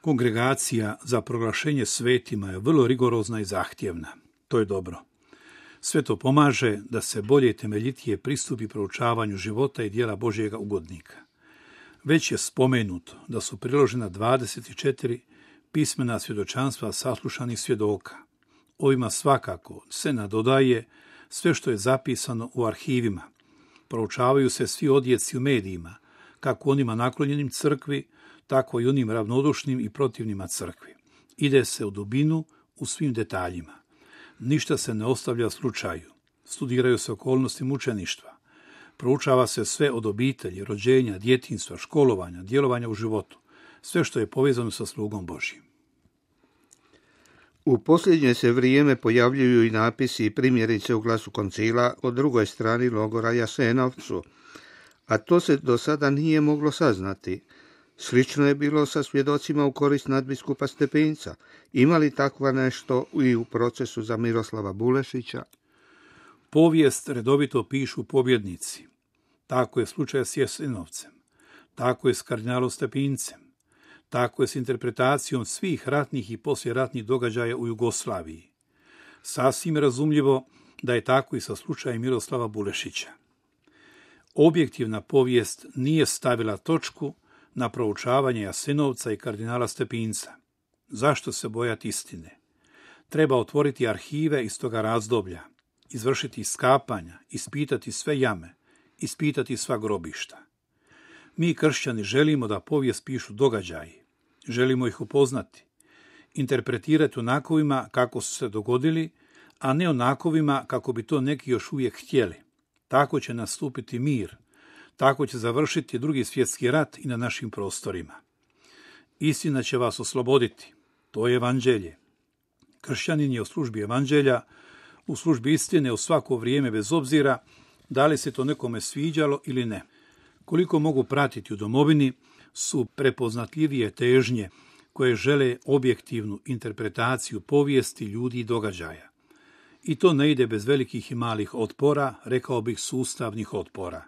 Kongregacija za proglašenje svetima je vrlo rigorozna i zahtjevna. To je dobro. Sve to pomaže da se bolje i temeljitije pristupi proučavanju života i djela Božjega ugodnika. Već je spomenuto da su priložena 24 pismena svjedočanstva saslušanih svjedoka. Ovima svakako se nadodaje sve što je zapisano u arhivima. Proučavaju se svi odjeci u medijima, kako onima naklonjenim crkvi, tako i onim ravnodušnim i protivnima crkvi. Ide se u dubinu u svim detaljima. Ništa se ne ostavlja slučaju. Studiraju se okolnosti mučeništva. Proučava se sve od obitelji, rođenja, djetinjstva, školovanja, djelovanja u životu. Sve što je povezano sa slugom Božjim. U posljednje se vrijeme pojavljuju i napisi i primjerice u Glasu koncila o drugoj strani logora Jasenovcu, a to se do sada nije moglo saznati. Slično je bilo sa svjedocima u korist nadbiskupa Stepinca. Ima li takva nešto i u procesu za Miroslava Bulešića? Povijest redovito pišu pobjednici. Tako je slučaj s Jasenovcem. Tako je s kardinalom Stepincem. Tako je s interpretacijom svih ratnih i poslijeratnih događaja u Jugoslaviji. Sasvim razumljivo da je tako i sa slučajem Miroslava Bulešića. Objektivna povijest nije stavila točku na proučavanje Jasenovca i kardinala Stepinca. Zašto se bojati istine? Treba otvoriti arhive iz toga razdoblja, izvršiti iskapanja, ispitati sve jame, ispitati sva grobišta. Mi kršćani želimo da povijest pišu događaji, želimo ih upoznati, interpretirati onakovima kako su se dogodili, a ne onakovima kako bi to neki još uvijek htjeli. Tako će nastupiti mir, tako će završiti Drugi svjetski rat i na našim prostorima. Istina će vas osloboditi, to je evanđelje. Kršćanin je u službi evanđelja, u službi istine u svako vrijeme bez obzira da li se to nekome sviđalo ili ne. Koliko mogu pratiti u domovini su prepoznatljivije težnje koje žele objektivnu interpretaciju povijesti ljudi i događaja. I to ne ide bez velikih i malih otpora, rekao bih sustavnih otpora.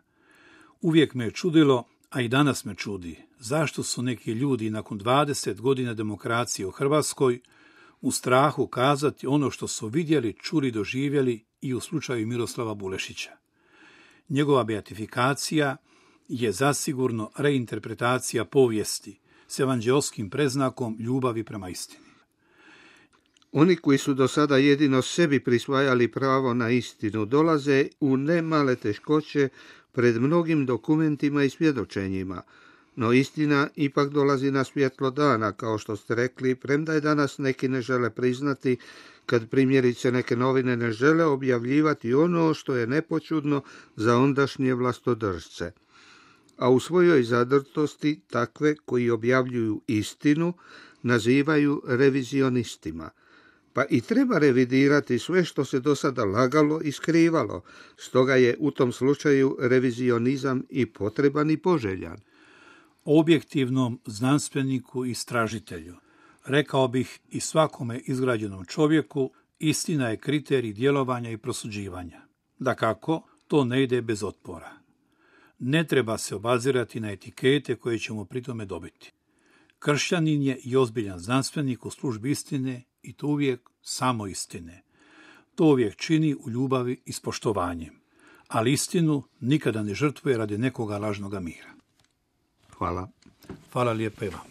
Uvijek me je čudilo, a i danas me čudi, zašto su neki ljudi nakon 20 godina demokracije u Hrvatskoj u strahu kazati ono što su vidjeli, čuli, doživjeli i u slučaju Miroslava Bulešića. Njegova beatifikacija je zasigurno reinterpretacija povijesti s evanđeoskim predznakom ljubavi prema istini. Oni koji su do sada jedino sebi prisvajali pravo na istinu dolaze u nemale teškoće pred mnogim dokumentima i svjedočenjima, no istina ipak dolazi na svjetlo dana, kao što ste rekli, premda je danas neki ne žele priznati, kad primjerice neke novine ne žele objavljivati ono što je nepočudno za ondašnje vlastodržce. A u svojoj zadrtosti takve koji objavljuju istinu nazivaju revizionistima. Pa i treba revidirati sve što se do sada lagalo i skrivalo, stoga je u tom slučaju revizionizam i potreban i poželjan. Objektivnom znanstveniku i istražitelju, rekao bih i svakome izgrađenom čovjeku, istina je kriterij djelovanja i prosuđivanja. Dakako, to ne ide bez otpora. Ne treba se obazirati na etikete koje ćemo pri tome dobiti. Kršćanin je i ozbiljan znanstvenik u službi istine i to uvijek samo istine. To uvijek čini u ljubavi i s poštovanjem. Ali istinu nikada ne žrtvuje radi nekoga lažnoga mira. Hvala. Hvala lijepa i vama.